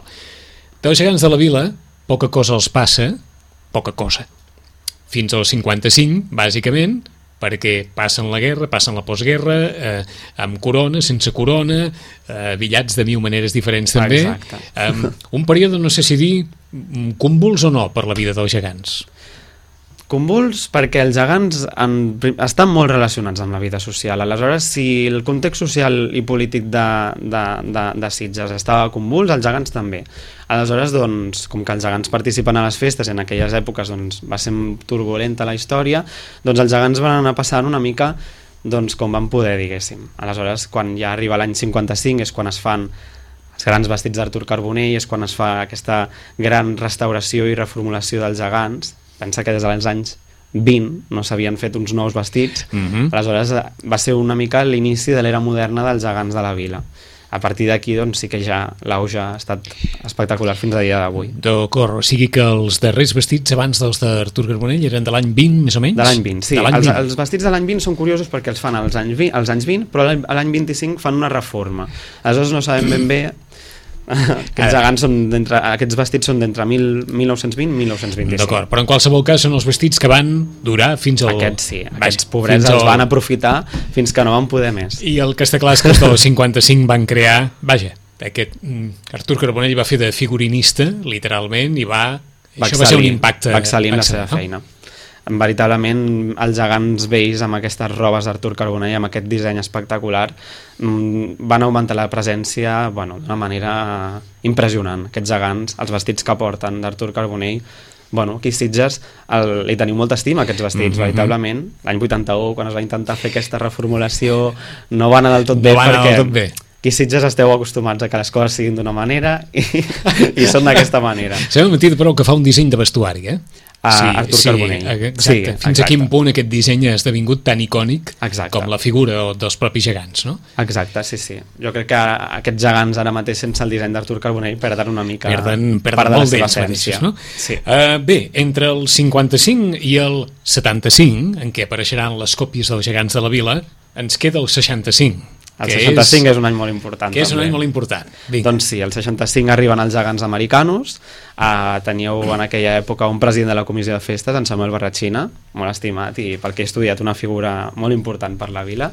Dels gegants de la Vila, poca cosa els passa, poca cosa. Fins al cinquanta-cinc, bàsicament, perquè passen la guerra, passen la postguerra, eh, amb corona, sense corona, eh, billats de mil maneres diferents també. Eh, un període, no sé si dir, convuls o no per la vida dels gegants? Convuls perquè els gegants en, estan molt relacionats amb la vida social. Aleshores, si el context social i polític de, de, de, de Sitges estava convuls, els gegants també. Aleshores, doncs, com que els gegants participen a les festes, en aquelles èpoques doncs, va ser turbulenta la història, doncs els gegants van anar passant una mica doncs, com van poder, diguéssim. Aleshores, quan ja arriba l'any cinquanta-cinc és quan es fan els grans vestits d'Artur Carbonell, és quan es fa aquesta gran restauració i reformulació dels gegants, pensa que des dels anys vint no s'havien fet uns nous vestits, uh-huh. aleshores va ser una mica l'inici de l'era moderna dels gegants de la vila. A partir d'aquí doncs, sí que ja l'auge ha estat espectacular fins a dia d'avui. D'acord, o sigui que els darrers vestits abans dels d'Artur Carbonell eren de l'any vint, més o menys? De l'any vint, sí. Els, vint. Els vestits de l'any vint són curiosos perquè els fan als anys vint, als anys vint, però a l'any vint-i-cinc fan una reforma. Aleshores no sabem ben bé... Aquests gegants són d'entre, aquests vestits són d'entre mil nou-cents vint i mil nou-cents vint-i-cinc. D'acord, però en qualsevol cas són els vestits que van durar fins al... Aquests sí, aquests pobrets els al... van aprofitar fins que no van poder més. I el que està clar és que els del cinquanta-cinc van crear, vaja, aquest Artur Carbonell va fer de figurinista, literalment, i va... va això va ser un impacte... Va excel·lir en la seva feina. Veritablement els gegants vells amb aquestes robes d'Artur Carbonell, amb aquest disseny espectacular, van augmentar la presència bueno, d'una manera impressionant. Aquests gegants, els vestits que porten d'Artur Carbonell, bueno, aquí a Sitges el, li teniu molta estima aquests vestits, mm-hmm. veritablement. L'any vuitanta-u, quan es va intentar fer aquesta reformulació, no va anar del tot bé, no perquè del tot bé. Aquí a Sitges esteu acostumats a que les coses siguin d'una manera i, i són d'aquesta manera. S'ha mentit, però, que fa un disseny de vestuari, eh? A sí, Artur sí, Carbonell. Exacte. Sí, Fins exacte. a quin punt aquest disseny ha esdevingut tan icònic exacte. Com la figura dels propis gegants, no? Exacte, sí, sí. Jo crec que aquests gegants ara mateix sense el disseny d'Artur Carbonell perden una mica perden, perden part de la molt seva d'ells essència. Mateixos, no? Sí. Uh, bé, entre el cinquanta-cinc i el setanta-cinc, en què apareixeran les còpies dels gegants de la vila, ens queda el seixanta-cinc. El seixanta-cinc és, és un any molt important. Que és també. un any molt important. Vinga. Doncs sí, el seixanta-cinc arriben els gegants americanos. Uh, teníeu en aquella època un president de la comissió de festes, en Samuel Barratxina, molt estimat i pel que he estudiat una figura molt important per la vila.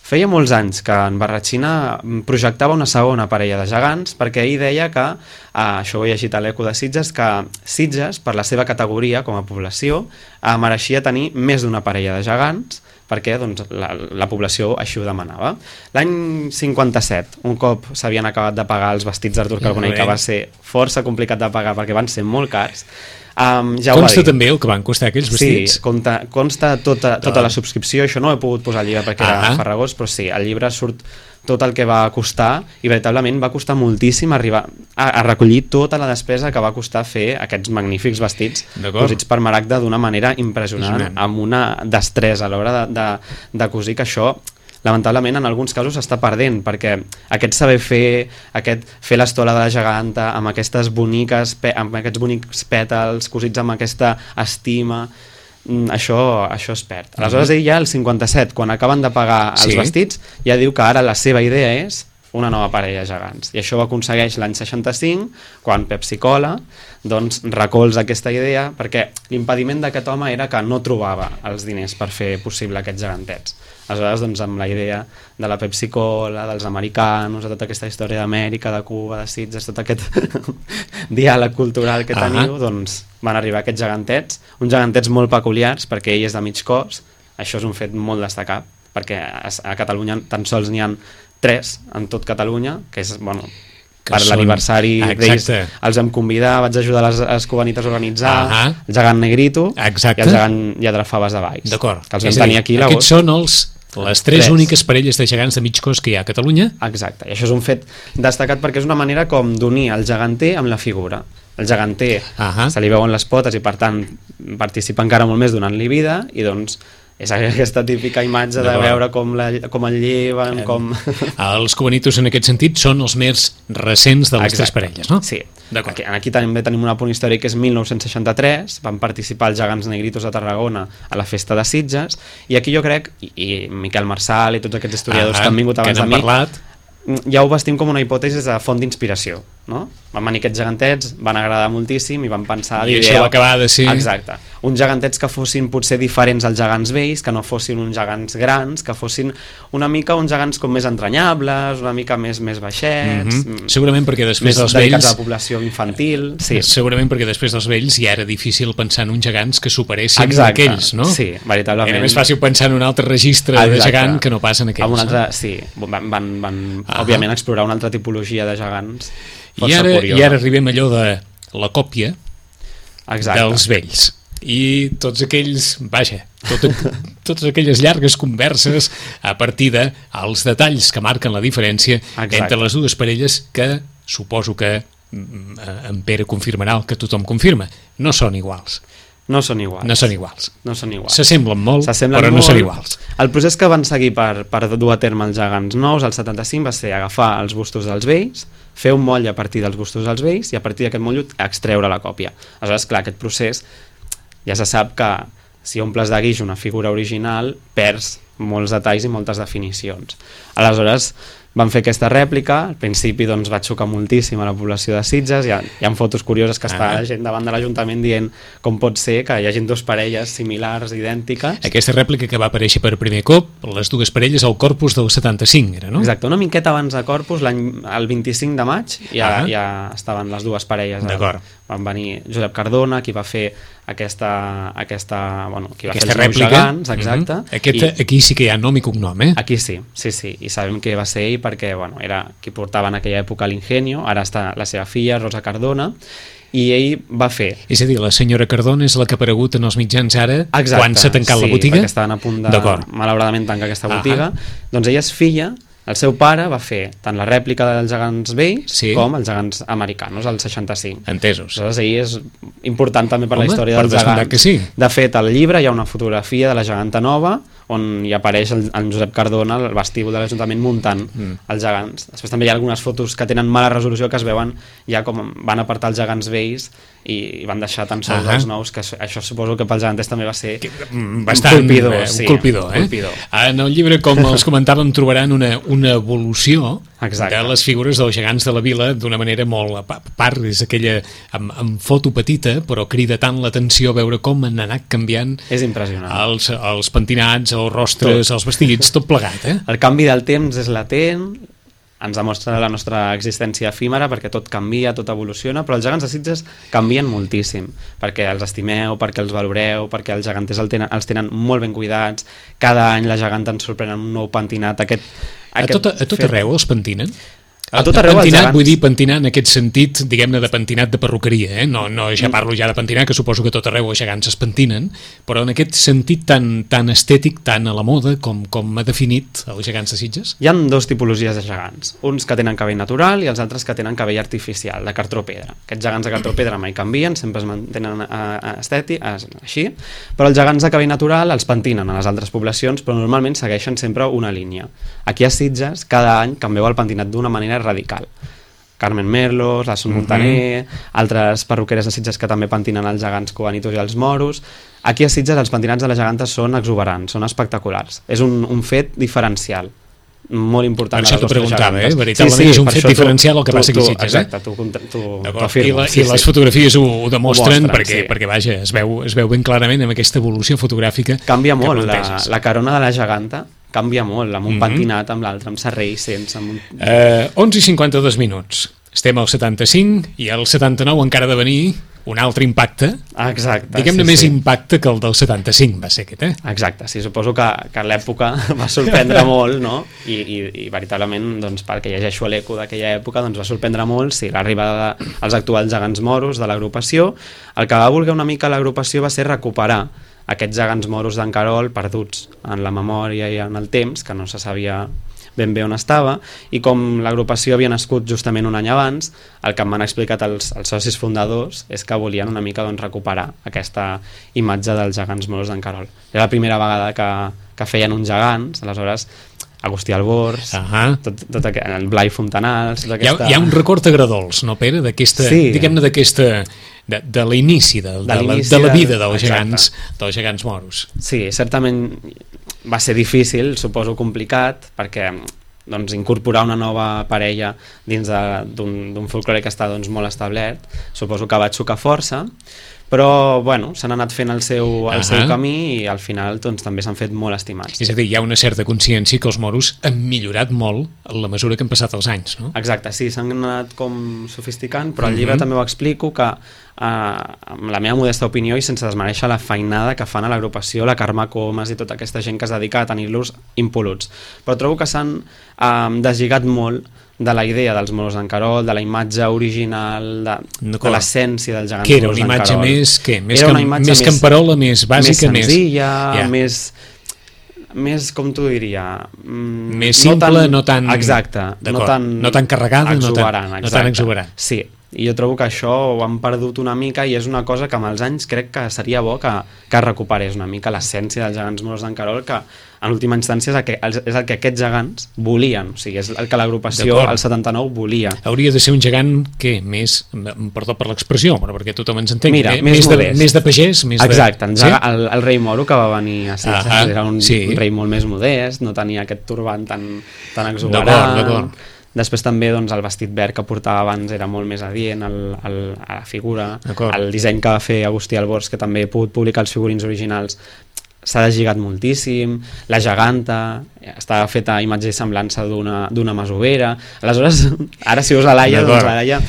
Feia molts anys que en Barratxina projectava una segona parella de gegants perquè ell deia que, uh, això ho he llegit a l'Eco de Sitges, que Sitges, per la seva categoria com a població, uh, mereixia tenir més d'una parella de gegants perquè doncs, la, la població així ho demanava. L'any cinquanta-set, un cop s'havien acabat de pagar els vestits d'Artur Carbonell, que va ser força complicat de pagar perquè van ser molt cars, um, ja consta també el que van costar aquells vestits? Sí, consta, consta tota, tota la subscripció, això no ho he pogut posar al llibre perquè ah era farragós, però sí, al llibre surt tot el que va costar i veritablement va costar moltíssim arribar a, a recollir tota la despesa que va costar fer aquests magnífics vestits cosits per Maragda d'una manera impressionant, amb una destresa a l'hora de, de, de cosir, que això lamentablement en alguns casos s'està perdent, perquè aquest saber fer, aquest fer l'estola de la geganta amb aquestes boniques, amb aquests bonics pètals cosits amb aquesta estima, això, això es perd. Aleshores ell ja el cinquanta-set, quan acaben de pagar els sí. vestits, ja diu que ara la seva idea és una nova parella de gegants, i això ho aconsegueix l'any seixanta-cinc, quan Pepsi Cola doncs recolza aquesta idea, perquè l'impediment d'aquest home era que no trobava els diners per fer possible aquests gegantets. Aleshores, doncs, amb la idea de la Pepsi Cola, dels americanos, de tota aquesta història d'Amèrica, de Cuba, de Sitges, tot aquest diàleg cultural que teniu, uh-huh. doncs van arribar aquests gegantets, uns gegantets molt peculiars, perquè ell és de mig cos, això és un fet molt destacat, perquè a Catalunya tan sols n'hi ha tres en tot Catalunya, que és, bueno, que per són... l'aniversari d'ells els vam convidar, vaig ajudar les, les cubanites a organitzar, uh-huh. el gegant Negrito Exacte. I el gegant Lladrafaves de Valls, que els vam tenir aquí l'agost. Aquests són els les tres, tres úniques parelles de gegants de mig cos que hi ha a Catalunya. Exacte, i això és un fet destacat perquè és una manera com d'unir el geganter amb la figura. El geganter uh-huh. se li veuen les potes i per tant participa encara molt més donant-li vida, i doncs és aquesta típica imatge de veure com, la, com el lleven, com... Els cubanitos en aquest sentit són els més recents de les Exacte. Tres parelles, no? Sí. Aquí, aquí també tenim un apunt històric que és mil nou-cents seixanta-tres, van participar els gegants negritos de Tarragona a la festa de Sitges, i aquí jo crec, i, i Miquel Marsal i tots aquests historiadors ah, que han vingut abans de mi, parlat. Ja ho vestim com una hipòtesi de font d'inspiració, no? Van venir aquests gegantets, van agradar moltíssim i van pensar... I això va acabar de ser... Exacte. Uns gegantets que fossin potser diferents als gegants vells, que no fossin uns gegants grans, que fossin una mica uns gegants com més entranyables, una mica més més baixets... Mm-hmm. Segurament perquè després dels vells... Més dedicats a la població infantil... Sí. Segurament perquè després dels vells ja era difícil pensar en uns gegants que superessin Exacte. Aquells, no? Sí, veritablement. Era més fàcil pensar en un altre registre Exacte. De gegant que no pas en aquells. Amb un altre, no? Sí, van, van, van ah. òbviament explorar una altra tipologia de gegants I ara, I ara arribem a allò de la còpia Exacte. Dels vells i tots aquells, vaja, tot, totes aquelles llargues converses a partir dels detalls que marquen la diferència Exacte. Entre les dues parelles que suposo que en Pere confirmarà el que tothom confirma, no són iguals. No són iguals. No són iguals. No són iguals. S'assemblen molt, però molt. no són iguals. El procés que van seguir per, per dur a terme els gegants nous al setanta-cinc va ser agafar els bustos dels vells, fer un moll a partir dels bustos dels vells i a partir d'aquest moll extreure la còpia. Aleshores, clar, aquest procés ja se sap que si omples de guix una figura original perds molts detalls i moltes definicions. Aleshores, van fer aquesta rèplica, al principi doncs, va xocar moltíssim a la població de Sitges, hi ha, hi ha fotos curioses que està ah. gent davant de l'Ajuntament dient com pot ser que hi hagi dues parelles similars, idèntiques. Aquesta rèplica que va aparèixer per primer cop, les dues parelles al Corpus del setanta-cinc, era, no? Exacte, una miqueta abans de Corpus, el vint-i-cinc de maig, ja, ah. ja estaven les dues parelles. D'acord. Van venir Josep Cardona, qui va fer aquesta, aquesta, bueno, qui va aquesta fer els rèplica. Gegants, exacte. Uh -huh. Aquesta, I, aquí sí que hi ha nom i cognom, eh? Aquí sí, sí, sí, i sabem que va ser ell perquè bueno, era qui portava en aquella època l'Ingenio, ara està la seva filla, Rosa Cardona, i ell va fer... És a dir, la senyora Cardona és la que ha aparegut en els mitjans ara, exacte, quan s'ha tancat sí, la botiga? Sí, perquè estaven a punt de, malauradament, tancar aquesta botiga. Uh -huh. Doncs ella és filla. El seu pare va fer tant la rèplica dels gegants vells sí. com els gegants americanos, al seixanta-cinc. Entesos. Aleshores, ell és important també per Home, la història per dels gegants. Que sí. De fet, al llibre hi ha una fotografia de la geganta nova on hi apareix el, el Josep Cardona al vestíbul de l'Ajuntament muntant mm. els gegants. Després també hi ha algunes fotos que tenen mala resolució que es veuen ja com van apartar els gegants vells i van deixar tan sols els nous, que això suposo que pels geganters també va ser que, bastant, un colpidor. Eh, sí, un colpidor, eh? colpidor. En el llibre, com els comentàvem, trobaran una, una evolució exacte. De les figures dels gegants de la vila d'una manera molt... A part, és aquella amb, amb foto petita, però crida tant l'atenció veure com han anat canviant és impressionant. Els, els pentinats, els rostres, tot. Els vestits, tot plegat, eh? El canvi del temps és latent, ens demostra la nostra existència efímera perquè tot canvia, tot evoluciona, però els gegants de Sitges canvien moltíssim, perquè els estimeu, perquè els valoreu, perquè els geganters el tenen, els tenen molt ben cuidats, cada any la geganta ens sorprèn amb un nou pentinat. Aquest, aquest a, tot, a tot fet... arreu els pentinen? A tot arreu pentinat, gegants... vull dir pentinat en aquest sentit, diguem-ne, de pentinat de perruqueria, eh? no, no ja parlo ja de pentinat, que suposo que tot arreu els gegants es pentinen, però en aquest sentit tan, tan estètic, tan a la moda, com, com ha definit els gegants de Sitges? Hi ha dos tipologies de gegants, uns que tenen cabell natural i els altres que tenen cabell artificial, de cartró-pedra. Aquests gegants de cartró-pedra mai canvien, sempre es mantenen estètics, així, però els gegants de cabell natural els pentinen a les altres poblacions, però normalment segueixen sempre una línia. Aquí a Sitges, cada any canvieu el pentinat d'una manera radical. Carmen Merlos, la Son Montaner, mm-hmm. altres perruqueres de Sitges que també pentinen els gegants cubanitos i els moros. Aquí a Sitges els pentinats de les gegantes són exuberants, són espectaculars. És un, un fet diferencial, molt important. Per això t'ho preguntava, eh? Veritablement sí, sí, és un fet diferencial el que tu, passa aquí a Sitges. Exacte, tu, tu, tu afirmes. I, la, sí, i les sí. fotografies ho, ho demostren, ho mostren, perquè, sí. perquè vaja, es veu, es veu ben clarament amb aquesta evolució fotogràfica. Canvia molt, la, la carona de la geganta canvia molt, amb un mm-hmm. pentinat, amb l'altre, amb serrell, sense... Amb un... eh, onze i cinquanta-dos minuts. Estem al setanta-cinc i al setanta-nou encara ha de venir un altre impacte. Exacte. Diguem-ne sí, més sí. impacte que el del setanta-cinc va ser aquest, eh? Exacte, sí, suposo que, que l'època va sorprendre molt, no? I, i, i veritablement, doncs, perquè llegeixo l'eco d'aquella època, doncs va sorprendre molt, sí, l'arribada dels actuals gegants moros de l'agrupació. El que va voler una mica l'agrupació va ser recuperar aquests gegants moros d'en Carol perduts en la memòria i en el temps, que no se sabia ben bé on estava, i com l'agrupació havia nascut justament un any abans, el que m'han explicat els, els socis fundadors és que volien una mica doncs, recuperar aquesta imatge dels gegants moros d'en Carol. Era la primera vegada que, que feien uns gegants, aleshores Agustí Albors, uh -huh. tot, tot aquest, el Blai Fontanals... Tota aquesta... hi, ha, hi ha un record agradols, no, Pere? D'aquesta, sí. diguem-ne d'aquesta... De, de l'inici de, de, de, la, de la vida dels gegants, dels gegants moros. Sí, certament va ser difícil, suposo complicat, perquè doncs, incorporar una nova parella dins d'un folklore que està doncs, molt establert, suposo que va xocar força, però bueno, s'han anat fent el seu, el uh -huh. seu camí i al final doncs, també s'han fet molt estimats. És a dir, hi ha una certa consciència que els moros han millorat molt en la mesura que han passat els anys, no? Exacte, sí, s'han anat com sofisticant, però al llibre uh -huh. també ho explico que Uh, amb la meva modesta opinió i sense desmereixer la feinada que fan a l'agrupació, la Carme Comas i tota aquesta gent que es dedica a tenir-los impoluts, però trobo que s'han uh, deslligat molt de la idea dels moros d'en Carol, de la imatge original, de, de l'essència dels gegants moros d'en Carol. Que era una imatge més, què? Més, era que, més, més camperola, més bàsica, més senzilla, més... Yeah. més... més, com t'ho diria... Més simple, no tan... No tan exacte. No tan, no tan carregada, exuberant, no tan, no tan exuberant. Sí, i jo trobo que això ho han perdut una mica i és una cosa que amb els anys crec que seria bo que, que recuperés una mica l'essència dels gegants moros d'en Querol, que en última instància és el que, és el que aquests gegants volien, o sigui, és el que l'agrupació al setanta-nou volia. Hauria de ser un gegant, què? Més, perdó per l'expressió, però perquè tothom ens entengui. Mira, eh? més, més, de, més de pagès? Més Exacte, de... sí? el, el rei moro que va venir a Sitges ah, era un, sí. un rei molt més modest, no tenia aquest turbant tan, tan exuberant. D'acord, d'acord. Després també doncs, el vestit verd que portava abans era molt més adient el, el, a la figura. El disseny que va fer Agustí Albors, que també he pogut publicar els figurins originals, s'ha deslligat moltíssim. La geganta estava feta a imatge i semblança d'una masovera. Aleshores, ara si veus la Laia, doncs la Laia...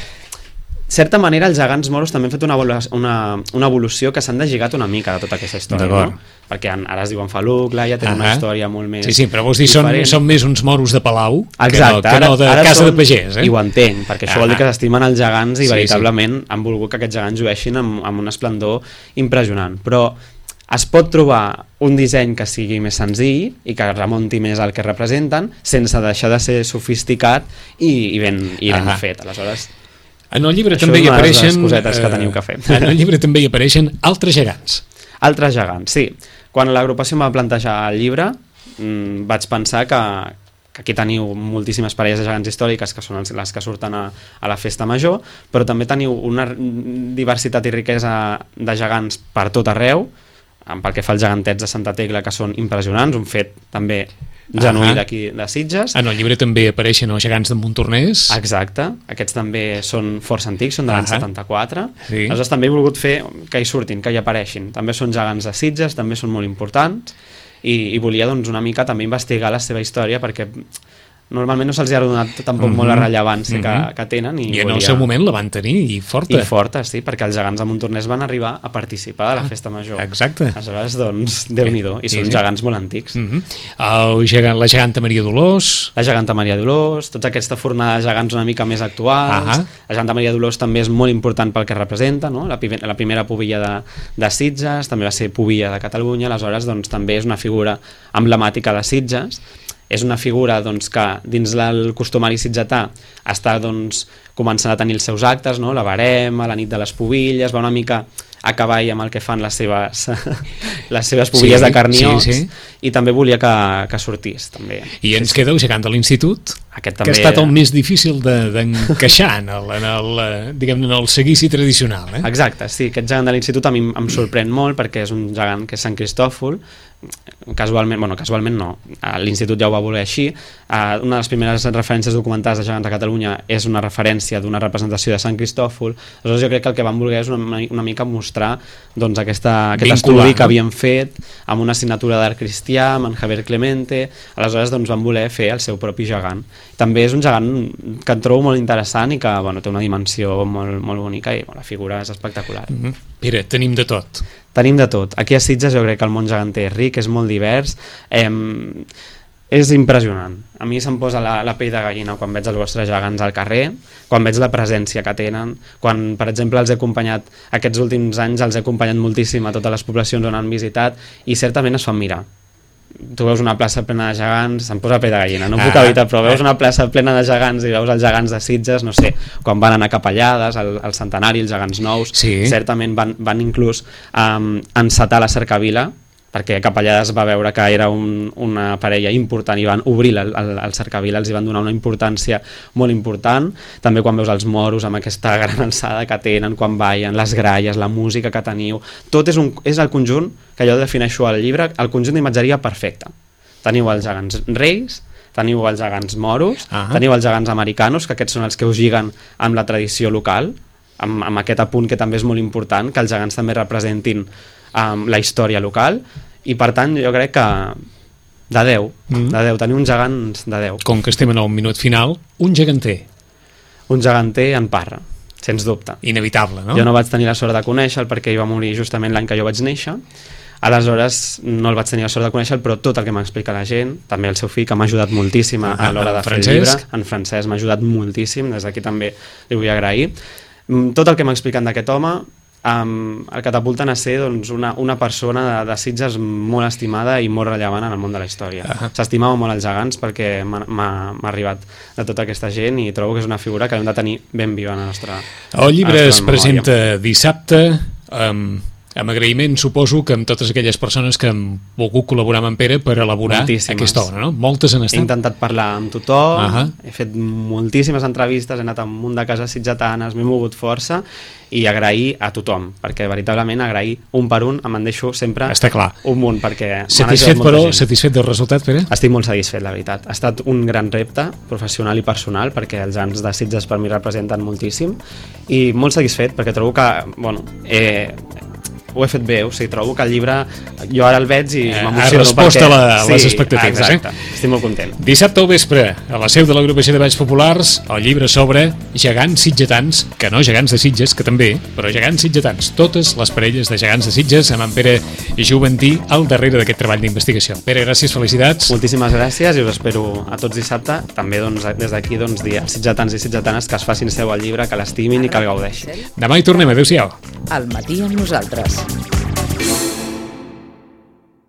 De certa manera, els gegants moros també han fet una, una, una evolució que s'han deslligat una mica de tota aquesta història, no? Perquè ara es diuen Faluc, Laia, tenen una història molt més... Sí, sí, però vols dir, són, són més uns moros de palau Exacte, que no, que no de ara, ara casa són, de pagès, eh? I ho entenc, perquè això ah, vol dir que s'estimen els gegants i sí, veritablement sí. han volgut que aquests gegants llueixin amb, amb un esplendor impressionant. Però es pot trobar un disseny que sigui més senzill i que remunti més al que representen sense deixar de ser sofisticat i, i ben, i ben fet. Aleshores... En el llibre també hi apareixen cosetes que teniu que fer. En el llibre també hi apareixen altres gegants. Altres gegants, sí. Quan l'agrupació em va plantejar el llibre, mmm, vaig pensar que, que aquí teniu moltíssimes parelles de gegants històriques que són les que surten a, a la festa major, però també teniu una diversitat i riquesa de gegants per tot arreu, pel que fa als gegantets de Santa Tecla, que són impressionants, un fet també genuí uh -huh. d'aquí de Sitges. En el llibre també apareixen els gegants de Montornès. Exacte, aquests també són força antics, són de l'any uh -huh. setanta-quatre. Sí. Aleshores també he volgut fer que hi surtin, que hi apareixin. També són gegants de Sitges, també són molt importants i, i volia doncs, una mica també investigar la seva història perquè normalment no se'ls ha donat tampoc mm -hmm. molt la rellevància mm -hmm. que, que tenen. I, I en volia... el seu moment la van tenir i forta. I forta, sí, perquè els gegants de Montornès van arribar a participar de la festa major. Exacte. Aleshores, doncs, Déu-n'hi-do, i són sí, sí. gegants molt antics. Mm -hmm. El gegant, la geganta Maria Dolors. La geganta Maria Dolors, tota aquesta fornada de gegants una mica més actuals. Uh -huh. La geganta Maria Dolors també és molt important pel que representa, no? la, la primera pubilla de, de Sitges, també va ser pubilla de Catalunya, aleshores doncs, també és una figura emblemàtica de Sitges. És una figura doncs, que dins del costumari sitgetà està doncs, començant a tenir els seus actes, no? La barema, la nit de les pubilles, va una mica a cavall amb el que fan les seves, les seves pubilles sí, de carniots sí, sí. I també volia que, que sortís també. I ens sí, queda el gegant de l'institut, aquest també... que ha estat el més difícil d'encaixar de, en, el, en, el, diguem, en el seguici tradicional. Eh? Exacte, sí, aquest gegant de l'institut a mi em sorprèn molt perquè és un gegant que és Sant Cristòfol, casualment, bueno, casualment no, l'institut ja ho va voler així. Una de les primeres referències documentades de gegants a Catalunya és una referència d'una representació de Sant Cristòfol. Aleshores jo crec que el que van voler és una, una mica mostrar doncs, aquesta, aquest Vincular, estudi que no? havien fet amb una assignatura d'art cristià, amb en Javier Clemente. Aleshores doncs, van voler fer el seu propi gegant. També és un gegant que em trobo molt interessant i que bueno, té una dimensió molt, molt bonica i bueno, la figura és espectacular. Mm-hmm. Mira, tenim de tot. Tenim de tot. Aquí a Sitges jo crec que el món geganter és ric, és molt divers, eh, és impressionant. A mi se'm posa la, la pell de gallina quan veig els vostres gegants al carrer, quan veig la presència que tenen, quan, per exemple, els he acompanyat, aquests últims anys els he acompanyat moltíssim a totes les poblacions on han visitat i certament es fan mirar. Tu veus una plaça plena de gegants, se'm posa pell de gallina, no puc evitar, però veus una plaça plena de gegants i veus els gegants de Sitges, no sé, quan van anar a Capellades, al, al centenari, els gegants nous, sí. certament van, van inclús um, encetar la cercavila, perquè Capellades va veure que era un, una parella important i van obrir el, el, el cercavila, els hi van donar una importància molt important. També quan veus els moros amb aquesta gran alçada que tenen, quan ballen, les gralles, la música que teniu, tot és, un, és el conjunt que jo defineixo al llibre, el conjunt d'imatgeria perfecte. Teniu els gegants reis, teniu els gegants moros, uh -huh. teniu els gegants americanos, que aquests són els que us lliguen amb la tradició local, amb, amb aquest apunt que també és molt important, que els gegants també representin um, la història local, i per tant jo crec que de deu, mm. de deu, teniu uns gegants de deu. Com que estem en el minut final, un geganter. Un geganter en Parra, sens dubte. Inevitable, no? Jo no vaig tenir la sort de conèixer-lo perquè ell va morir justament l'any que jo vaig néixer. Aleshores no el vaig tenir la sort de conèixer, però tot el que m'explica la gent, també el seu fill, que m'ha ajudat moltíssim a, a l'hora de fer el llibre, en Francesc m'ha ajudat moltíssim, des d'aquí també li vull agrair. Tot el que m'ha explicat d'aquest home um, el catapulten a ser doncs, una, una persona de, de Sitges molt estimada i molt rellevant en el món de la història. Uh -huh. S'estimava molt els gegants perquè m'ha arribat de tota aquesta gent i trobo que és una figura que hem de tenir ben viva en la nostra El llibre es presenta dissabte, um, amb agraïment suposo que amb totes aquelles persones que han volgut col·laborar amb en Pere per elaborar moltíssimes. Aquesta obra, no? Moltes han estat. He intentat parlar amb tothom, uh -huh. he fet moltíssimes entrevistes, he anat a un munt de cases sitgetanes, m'he mogut força i agrair a tothom, perquè veritablement agrair un per un em en deixo sempre Està clar. un munt, perquè satisfet, però, gent. Satisfet del resultat, Pere? Estic molt satisfet, la veritat. Ha estat un gran repte professional i personal, perquè els anys de Sitges per mi representen moltíssim, i molt satisfet perquè trobo que, bueno, eh, ho he fet bé, o sigui, trobo que el llibre jo ara el veig i eh, m'emociono ha respost perquè... a, la, a les sí, expectatives, exacte, eh? Estic molt content. Dissabte al vespre, a la seu de l'Agrupació de Balls Populars, el llibre sobre gegants sitgetans, que no gegants de Sitges, que també, però gegants sitgetans, totes les parelles de gegants de Sitges, amb en Pere Juventí al darrere d'aquest treball d'investigació. Pere, gràcies, felicitats. Moltíssimes gràcies i us espero a tots dissabte, també doncs, des d'aquí doncs, dir als sitgetans i sitgetanes que es facin seu al llibre, que l'estimin i que el gaudeixin. Demà hi tornem, adeu-siau. Al matí amb nosaltres.